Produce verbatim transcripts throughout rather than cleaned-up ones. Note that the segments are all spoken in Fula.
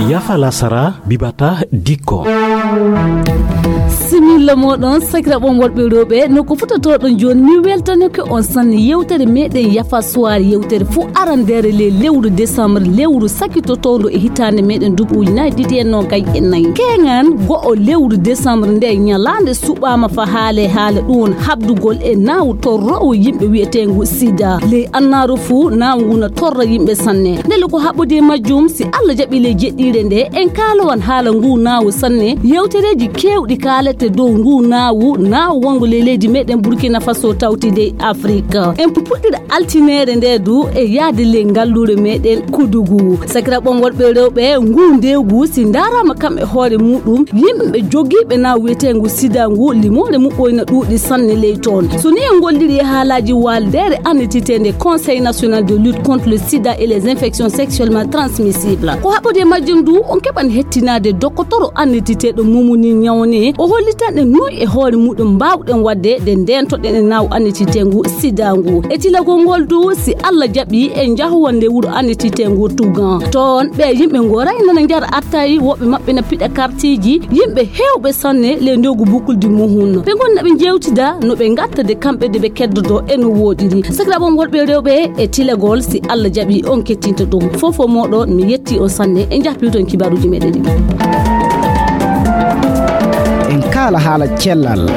Yafa lasara bibata dikko. Similla moɗon sakiraɓon worɓe rewɓe, no ko futotoɗon joni, mi weltanake on sanne yewtere meɗen Yafa Soir, yewtere fuu arandere le lewru décembre, lewru sakitotondo e hitande meɗen duuɓi ujunaaji ɗiɗi e noogay e nayi. Keŋan go'o lewru décembre nde ñalande suɓama fa haale haala ɗum won habdugol e nawu torrowo yimɓe wi'etengu sida. Ley annaru fuu nawu ngu na torra yimɓe sanne. Ndele ko haɓɓude e majjum, si Allah jaɓi ley jeɗɗire nde, en kaalowan haala ngu nawu sanne. Yewtereji kewɗi kaalete dow ngu nawu, nawu wongo ley leydi meɗen Burkina Faso tawti dey Afrique. En puɗɗira altinere nde du e yaade ley ngallure meɗen Kudugu. Sakiraɓon worɓe rewɓe, ngu ndewgu si ndarama kam e hoore muɗum, yimɓe jogiiɓe nawu wi'etengu sida ngu, limore muɓɓoy na ɗuuɗi sanne ley toon. So ni en ngolliri e haalaji waldere annititende Conseil National de Lutte contre le Sida et les Infections Sexuellement Transmissibles, ko haɓɓude e majjum du, on keɓan hettinade dokotoro annititeɗo Mumuni Ñawne, o hollitan en noy e hoore muɗum mbawɗen wadde nde ndentoɗen e nawu annititengu sida ngu. E tilagol ngol du, si Allah jaɓi, en njahowan nde wuro annititengu Tugan. Toon ɓe yimɓe ngoray nana njara attayi, woɓɓe maɓɓe na piɗa kartiji, yimɓe hewɓe sanne ley ndogu bukuldi muhun. Ɓe ngonna ɓe jewtida no ɓe ngatta de kamɓe de ɓe keddodo e no woɗiri. Sakiraɓon worɓe rewɓe, e tilagol si Allah jaɓi on kettinta ɗum. Fofo moɗon mi yetti on sanne, e jahpiton kibaruji meɗen ɗiɗi. En kaala haala cellal.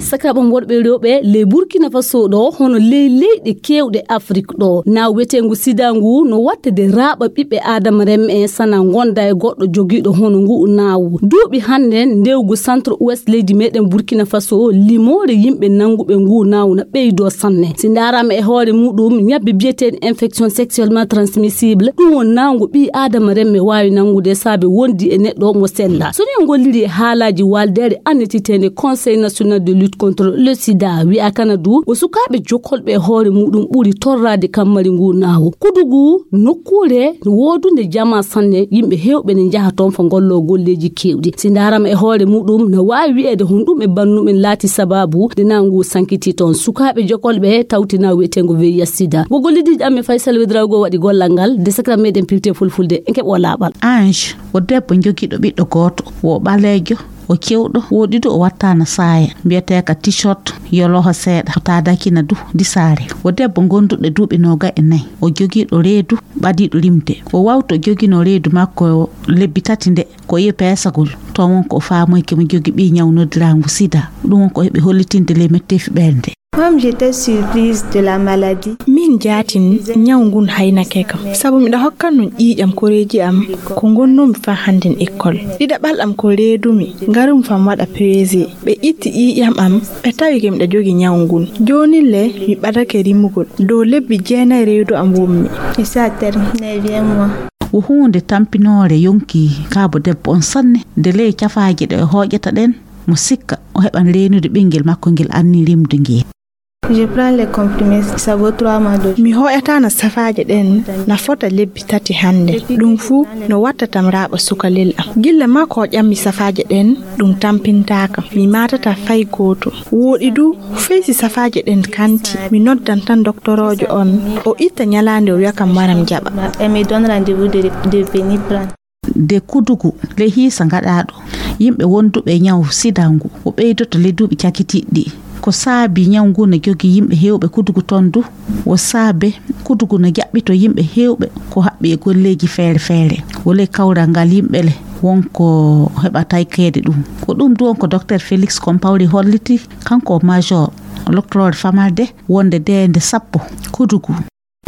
Sakiraɓon worɓe rewɓe, ley Burkina Faso ɗo, hono ley leyɗe kewɗe Afrik ɗo, nawu wi'etengu sida ngu no wattede raaɓa ɓiɓɓe Adama remme en sana gonda e goɗɗo jogiiɗo hono ngu nawu. Duuɓi hannden ndewgu centre ouest leydi meɗen Burkina Faso, limore yimɓe nanguɓe ngu nawu na ɓeydo sanne. Si ndarama e hoore muɗum, ñabbe bi'eteɗe infection sexuellement transmissible, ɗum won nawngu ɓii Adama remme waawi nangude saabe wondi e neɗɗo mo sella. So ni en ngolliri e haalaji waldere annititende Conseil National de Lutte contre le Sida, wi'a kana du, o sukaaɓe jokolɓe e hoore muɗum ɓuri torraade kammari ngu nawu. Kudugu, nokkuure woodunde jama sanne, yimɓe hewɓe ne njaha toon fa ngollo golleji kewɗi. Si ndarama e hoore muɗum, na waawi wi'eede honɗum e bannumen laati sababu nde nawngu sankiti toon. Sukaaɓe jokolɓe tawti nawu wi'etengu V I H sida. Wo gollidiiɗo amen Faysal Wedrawgo waɗi gollal ngal, de sakira meɗen pilte fulfulde, en keɓo laaɓal. Ange, o debbo jogiiɗo ɓiɗɗo gooto, wo ɓaleejo, o cewɗo, woɗi du o wattaana saaya, mbiyetee ka t-shirt, yo loho seeɗa, o taadakina du disaare. O debbo gonduɗo duuɓi noogay e nayi, o jogiiɗo reedu ɓadiiɗo limde. O wawto joginoo reedu makko lebbi tati nde, ko e peesagol. Toon won ko o faamoyke mo jogi ɓii ñaw noddiraagu sida. Ɗum won ko heɓi hollitinde ley metteefi ɓernde. Comme j'étais surprise de la maladie. Min jaatin ñaw ngun haynake kam. Sabu miɗa hokkan nun ƴiiƴam koreeji am ko ngonnoomi faa hannden ekkol. Ɗiɗaɓal am ko reedumi, ngarumi faa mi waɗa peese. Ɓe itti ƴiiƴam am, ɓe tawi ke miɗa jogi ñaw ngun. Joonin le, mi ɓadake rimugol. Dow lebbi jeenay reedu am wonmi. Et ça terme, neuvième mois. Wo huunde tampinoore yonki kaabo debbo on sanne, de ley cafaaje ɗe o hooƴata ɗen, mo sikka o heɓan reenude ɓinngel makko ngel anni rimde ngel. Je prends les comprimés, ça vaut trois mois de. Mi hooƴataana safaaje ɗen na fota lebbi tati hannde. Ɗum fuu no wattatam raaɓa sukalel am. Gilla maa ko ƴammi safaaje ɗen, ɗum tampintaaka. Mi maatataa fay gooto. Wooɗi du, fey si safaaje ɗen kanti, mi noddan tan doktoroojo on. O itta ñalaande o wi'a kam waram jaɓa. Et me donne rendez-vous de, de venir prendre. De kudugu ley hiisa gaɗaaɗo yimɓe wonduɓe e ñaw sida ngu, o ɓeydoto ley duuɓi cakitiiɗi. Ko saabi ñaw ngu no jogii yimɓe heewɓe kudugu toon du, wo saabe kudugu no jaɓɓito yimɓe heewɓe ko haɓɓi e golleeji feere feere. Wo ley kawral ngal yimɓe le won ko heɓa taykeede ɗum. Ko ɗum du won ko Docteur Félix Compaoré holliti, kanko o major loktoroore famalde wonde deende sappo kudugu.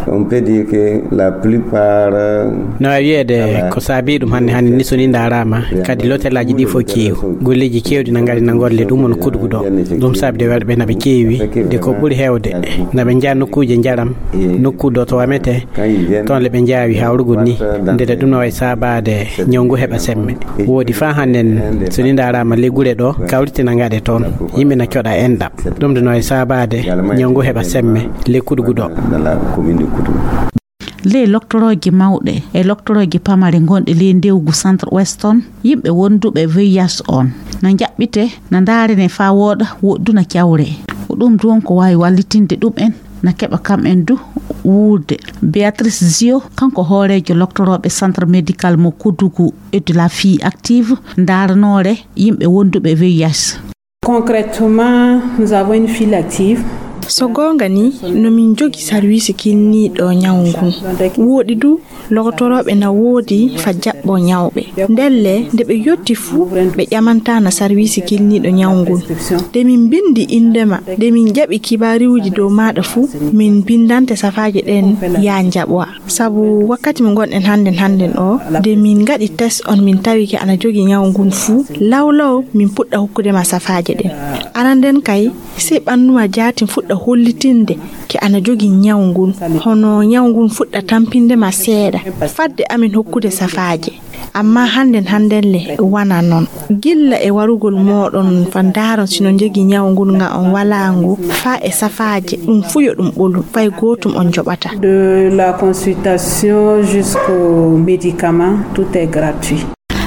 On peut dire que la plupart, euh, no waawi wiyeede ko saabii ɗum hannde hannde ni, so ni ndaaraama, kadi lotelaaji ɗi fof keewi. Golleeji keewɗi na ngari na ngolle ɗum won kudugu ɗo. Ɗum saabi de werɓe na ɓe keewi, de ko ɓuri heewde na ɓe njaha nokkuuje njaram, nokku do to wamete, toon le ɓe njaawi hawrugol ni. Ndede ɗum no wayi saabaade ñaw ngu heɓa semme. Woodi faa hannden, so ni ndaaraama ley gure ɗo, kawrite na ngaɗe toon. Yimɓe na coɗa enɗam. Ɗum de no e saabaade ñaw ngu heɓa semme ley kudugu ɗo. Ley loktorooji mawɗe e loktorooji pamare gonɗe ley ndewgu centre ouest on, yimɓe wonduɓe V I H on na njaɓɓite, na ndaarene faa wooɗa, woɗɗuna cawre. Ko ɗum ɗoon ko waawi wallitinde ɗum en, na keɓa kam en du wuurde. Béatrice Zio, kanko hooreejo loktorooɓe Centre Médical mo Koudougou et de la Fille Active, ndaaranoore yimɓe wonduɓe V I H. Concrètement, nous avons une file active. So goonga ni, no min njogi sarwiisi kinniiɗo ñaw ngun. Wooɗi du, lokotorooɓe na woodi fa jaɓɓo ñawɓe. Ndelle, nde ɓe yotti fuu, ɓe ƴamantaana sarwiisi kinniiɗo ñaw ngun. Nde min mbinndi innde ma, nde min jaɓi kibaruuji dow maaɗa fuu, min mbinndante safaaje ɗen yaa njaɓoa. Sabu wakkati mo ngonɗen hannden hannden o, nde min ngaɗi test on, min tawi ke ana jogi ñaw ngun fuu, law law min puɗɗa hokkude ma safaaje ɗen. Aran nden kay, sey ɓanndu ma jaatin fuɗɗa hollitinde ke ana jogi ñaw ngun, hono ñaw ngun fuɗɗa tampinde ma seeɗa, fadde amin hokkude safaaje. Amma hannden hannden le wana non. Gilla e warugol mooɗon fa ndaaron si no njogii ñaw ngun nga on walaa ngu, faa e safaaje, ɗum fuu yo ɗum ɓolu, fay gootum on njoɓata. De la consultation jusqu'au médicament, tout est gratuit.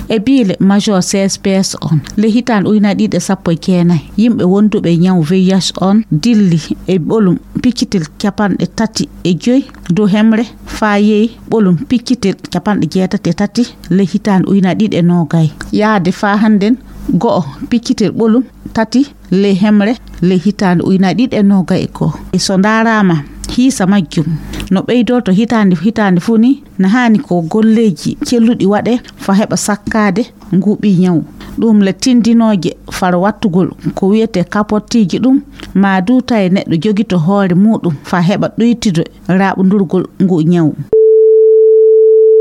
E biile Major C S P S on, le hitaande ujunaaji ɗiɗi e sappo e jeenayi, yimɓe wonduɓe e ñaw V I H on dilli e ɓolum piccitel capanɗe tati e joy dow hemre, faa yehi ɓolum piccitel capanɗe jeetati e tati le hitaande ujunaaji ɗiɗi e noogay. Yaade faa hannden go'o piccitel ɓolum tati le hemre le hitaande ujunaaji ɗiɗi e noogay e go'o. E so ndaaraama hiisa majjum no ɓeydorto hitaande, hitaande fuu ni, na haani ko golleeji celluɗi waɗe faa heɓa sakkaade ngu ɓii ñaw. Ɗum le tindinooje faro wattugol ko wiyetee kapottiiji ɗum, maa du tawi neɗɗo jogito hoore muuɗum faa heɓa ɗuytude raaɓondurgol ngu ñaw.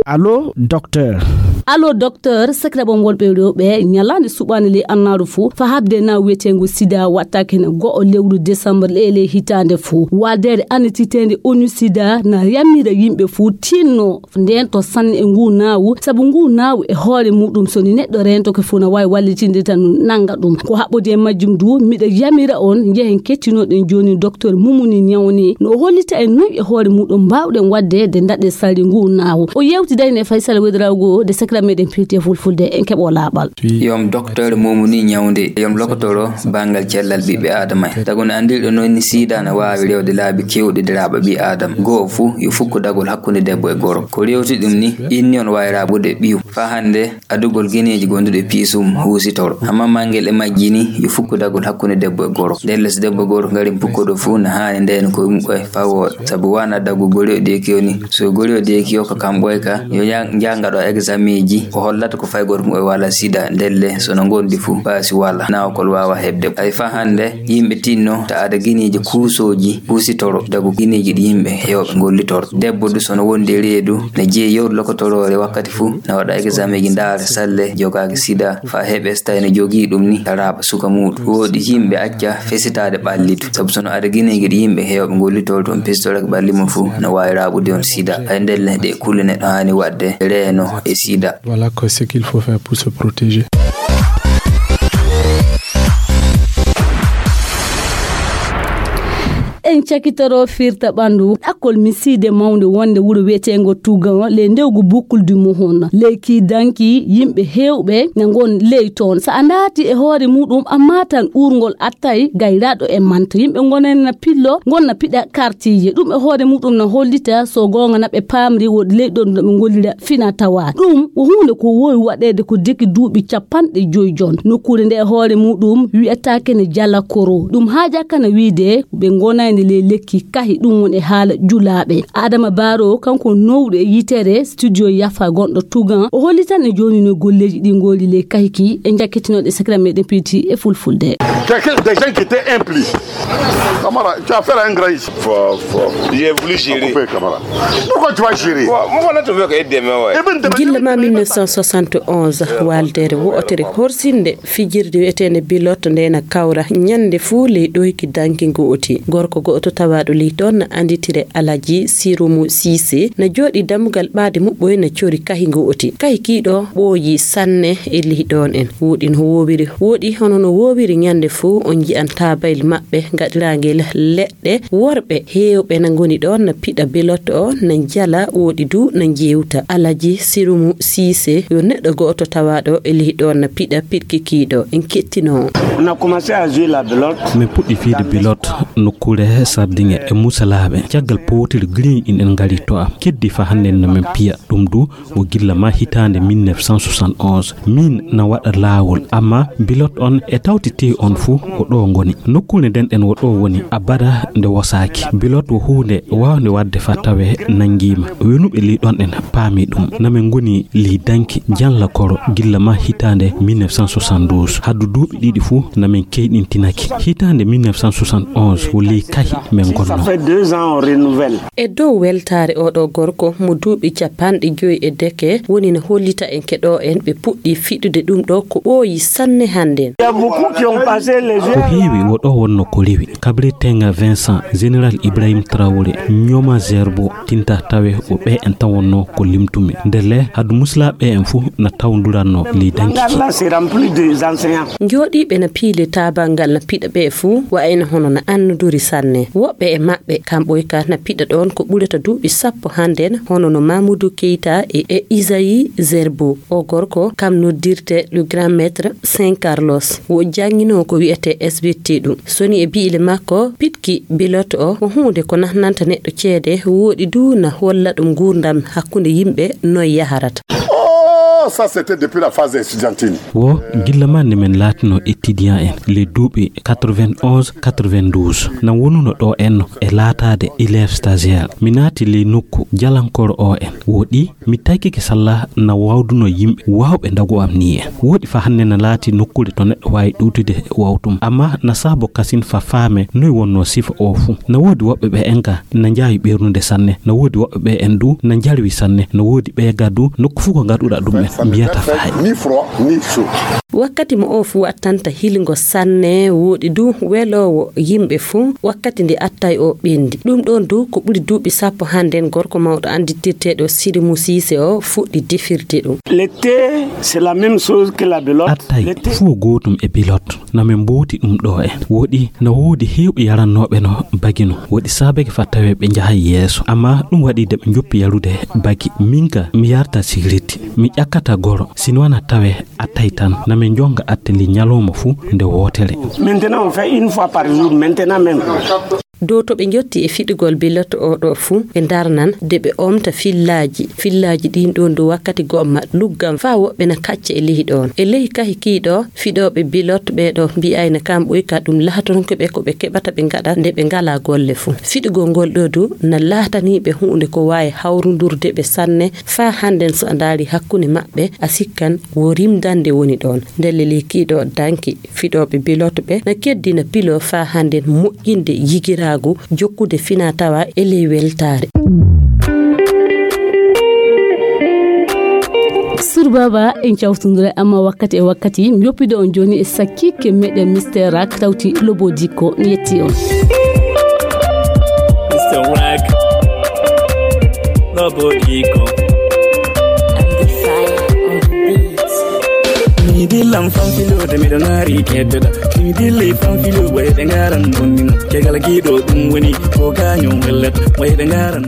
Allo, docteur. Allo, docteur, sakiraaɓe am wonɓe rewɓe, ñalaande suɓaande ley annaaru fuu, faa haɓde naawu wiyeteengu sida wattaake hene go'o lewru décembre ley, ley hitaande fuu. Waldeere annititeende onu sida na yamira yimɓe fuu tinno ndento sanne e nguu naawu, sabu nguu naawu e hoore muuɗum, so ni neɗɗo rentoke fuu, na waawi wallitinde tan nannga ɗum. Ko haɓɓodi e majjum du, miɗa yamira on, njehen kettinoɗen jooni docteur Mumuni Ñawni, no o hollita en noy e hoore muuɗum mbaawɗen waɗde de ndaɗe sali nguu naawu. O yewtidayno e Faysal Wedrawgo de sakira meɗen piiti e fulfulde, en keɓo laaɓal. Yom docteur Mumuni Ñawde, yom lokotoro banngal cellal ɓiɓɓe Aadama. Tago no anndirɗo noon ni, sida na waawi rewde laabi keewɗi de raaɓa ɓii Aadama. Go'o fuu, yo fukku dagol hakkunde debbo e gorko. Ko rewti ɗum ni, inni on waawi raaɓude ɓiyu. Faa hannde, adugol gineeji gonduɗi e piisum huusitoro. Amma manngel e majji ni, yo fukku dagol hakkunde debbo e gorko. Ndelle so debbo e gorko ngari pukkoɗo fuu, na haani ndeen ko yumɓe faa wooɗa. Sabu wana daggu gori o deeki o ni. So gori o deeki o ko kam ɓoyka, yo nja-, njangaɗo exameeji, o hollata ko fay gooto mo e wala sida, ndelle so no ngondi fuu, baasi wala, naawkol waawa heɓde. Ay faa hannde, yimɓe tinno ta ada gineeji kuusooji, kuusitoro, dagu gineeji ɗi yimɓe heewɓe ngollitoro. Debbo du so no wondi e reedu, ne jeyi yewtu lokotoroore wakkati fuu, na waɗa exameeji ndaara salle, jogaaki sida, faa heɓe so tawi no jogii ɗum ni, ta raaɓa suka muuɗum. Wooɗi yimɓe acca fesitaade ɓallitu. Sabu so no ada gineeji ɗi yimɓe heewɓe ngollitoro toon, pesitorake ɓalli mum fuu, no waawi raaɓude on sida. Ay ndelle ɗe kulle neɗɗo haani waɗde reeno e sida. Voilà quoi, ce qu'il faut faire pour se protéger. En cakitoro firta ɓanndu. Ɗakkol misiide mawnde wonde wuro wiyeteengo Tougan, ley ndewgu Boucle du Mouhoun. Ley kii danki, yimɓe heewɓe na ngon ley toon. So a ndaarti e hoore muuɗum, a maatan uurngol attay gayraaɗo e manta. Yimɓe ngonen na pillo, ngon na piɗa kartiije. Ɗum e hoore muuɗum na hollita so goonga na ɓe paamri woodi ley ɗon no ɓe ngollira fina tawa. Ɗum ko huunde ko woowi waɗeede ko deki duuɓi capanɗe joy jon. Nokkuure nde e hoore muuɗum wiyataake ne Jala Koro. Ɗum haajaka na wiide ɓe ngonayde ley lekki kahi, ɗum woni e haala julaaɓe. Adama Baro, kanko nowɗo e yitere studio Yafa gonɗo Tougan, o hollitan e jooni no golleeji ɗi ngoli ley kahi ki e jakkitinoɗe sakira meɗen piiti e fulfulde. Quelqu'un, des gens qui étaient impliqués. Camara, tu as fait un grand ici. Fo, fo. J'ai voulu gérer. Pourquoi tu vas gérer? Gilla ma mille neuf cent soixante et onze, waldere wotere horsinde fijirde wi'eteende Bilot nde na kawra ñande fuu ley ɗoyki danki ngo'oti. Gorko oto tawaaɗo ley ɗon na annditire Alaji Sirumu Siise, na jooɗii dammugal ɓaade muɓɓoy na cori kahi ngo'oti. Kahi kii ɗoo ɓooyii sanne e ley ɗon en. Wooɗi no woowiri, wooɗi hono no woowiri ñannde fuu, on nji'an taabayel maɓɓe ngaɗiraangel leɗɗe. Worɓe heewɓe na ngoni ɗon na piɗa bilot o, na njala, wooɗi du na njeewta. Alaji Sirumu Siise yo neɗɗo go'oto tawaaɗo e ley ɗon na piɗa piɗki kii ɗoo. En kettinoo. On a commencé à jouer la belote. Min puɗɗii fiyde bilot nokkuure Sardiŋe e Musalaaɓe. Caggal powtiri giriiñ ɗin en ngari to am. Keddi fa hannde no min piya. Ɗum du o gilla ma hitaande mille neuf cent soixante et onze. Min na waɗa laawol, amma bilot on e tawti tee on fuu ko ɗo ngoni. Nokkuure nden ɗen wo ɗo woni abada nde wosaaki. Bilot wo huunde waawnde waɗde fa tawe nanngiima. Wenuɓe ley ɗon ɗen paami ɗum. Na min ngoni ley danki janla koro gilla ma hitaande mille neuf cent soixante-douze. Haddu duuɓi ɗiɗi fuu na min keyɗintinaki. Hitaande mille neuf cent soixante et onze wo ley kahi min ngonnoo. Ça fait deux ans, on renouvelle. E dow weltaare oo ɗoo gorko mo duuɓi capanɗe joy e deke woni no hollita en keɗoo en ɓe puɗɗii fiɗude ɗum ɗoo ko ɓooyi sanne hannden. Il y a beaucoup qui ont passé les yeux. Ko heewi wo ɗo wonno ko rewi. Kabri Tenga Vincent, Général Ibrahim Traoré, Nyoma Zerbo, Tinta Tawe wo ɓe en tan wonno ko limtumi. Ndelle hadu muslaaɓe en fuu na tawduranno ley danki. Là, c'est rempli des enseignants. Njooɗiiɓe na piile taabangal na piɗa ɓe fuu, wa'ayno hono na annuduri sanne. Woɓɓe e maɓɓe, kamɓoy ka na piɗa ɗon ko ɓurata duuɓi sappo hannden, hono no Mamoudou Keita e, e Isaïe Zerbo. O gorko, kam noddirte le grand maître Saint Carlos. Wo jannginoo ko wi'etee S B T ɗum. Soni e bi'ile makko, piɗki bilot o, ko huunde ko nahnanta neɗɗo ceede, wooɗi du na holla ɗum nguurndam hakkunde yimɓe noy yaharata. Oh, ça, c'était depuis la phase estudiantine. Wo gilla ma nde min laatinoo étudiant en, les duuɓi quatre-vingt-onze, quatre-vingt-douze. Na wonuno ɗo en no e laataade élève stagiaire. Mi naati ley nokku jalankoro o en. Wo ɗi mi taykike salla na wawduno yimɓe wawɓe ndagu am ni en. Woɗi fa hannde na laati nokkuure to neɗɗo waawi ɗuutude wawtum. Amma na saabo kasin fa faame noy wonno sifa o fuu. Na woodi woɓɓe ɓe en ka na njaawi ɓernude sanne. Na woodi woɓɓe ɓe en du na njarwi sanne. Na woodi ɓe gadu nokku fuu ko ngaɗuɗa ɗum en mbiyata faay. Ni froid, ni chaud. Wakkati mo o fuu wattanta hilngo sanne, woɗi du weloowo yimɓe fuu. Wakkati nde attay o ɓendi. Ɗum ɗon du ko ɓuri duuɓi sappo hannden gorko mawɗo annditirteeɗo Sidi Musise o fuɗɗi defirde ɗum. L'été, c'est la même chose que la belote. Attay L'été, fuu gootum e belote. Na min mbooti ɗum ɗo en. Woɗi na woodi heewɓe yarannooɓe no bagi no. Woɗi saabake fa tawee ɓe njahay yeeso. Amma ɗum waɗi de ɓe njoppi yarude bagi. Min ka mi yarta sigaret. Mi ƴakkata goro. Sino wana tawee attay tan. Na min njonga atte li ñalawma fuu nde wootere. Maintenant, on fait une fois par jour, maintenant même. Dow to ɓe njotti e fiɗugol belote o ɗo fuu, ɓe ndarnan de ɓe omta fillaaji. Fillaaji ɗin ɗon dow wakkati go'o ma luggan faa woɓɓe na kacca e lehi ɗon. E lehi kahi kii ɗo, fiɗooɓe belote ɓee ɗo mbi'ayna kamɓoy ka ɗum lahatonke ɓe ko ɓe keɓata ɓe ngaɗa nde ɓe ngalaa golle fuu. Fiɗugol ngol ɗo du na laatanii ɓe huunde ko waawi hawrundurde ɓe sanne, faa hannden so a ndaari hakkunde maɓɓe, a sikkan wo rimdande woni ɗon. Ndelle lehi kii ɗo danki. Fiɗooɓe belote ɓe na keddina pilo faa hannden moƴƴinde yigiraagu, jokkude fina tawa e ley weltaare. Sur Baba, en cawtundire amma wakkati e wakkati, mi yoppido on jooni e sakkiike meɗen Mister Rak tawti Lobo Diko. Mi yetti on. Mister Rak, Lobo Diko. Mi dillan fan filoode, miɗo ŋaari keddoɗa. Mi dillay fan filo, wayɓe ngaran bonnino. Kegal giɗo ɗum woni ko gaño wellat. Wayɓe ngaran.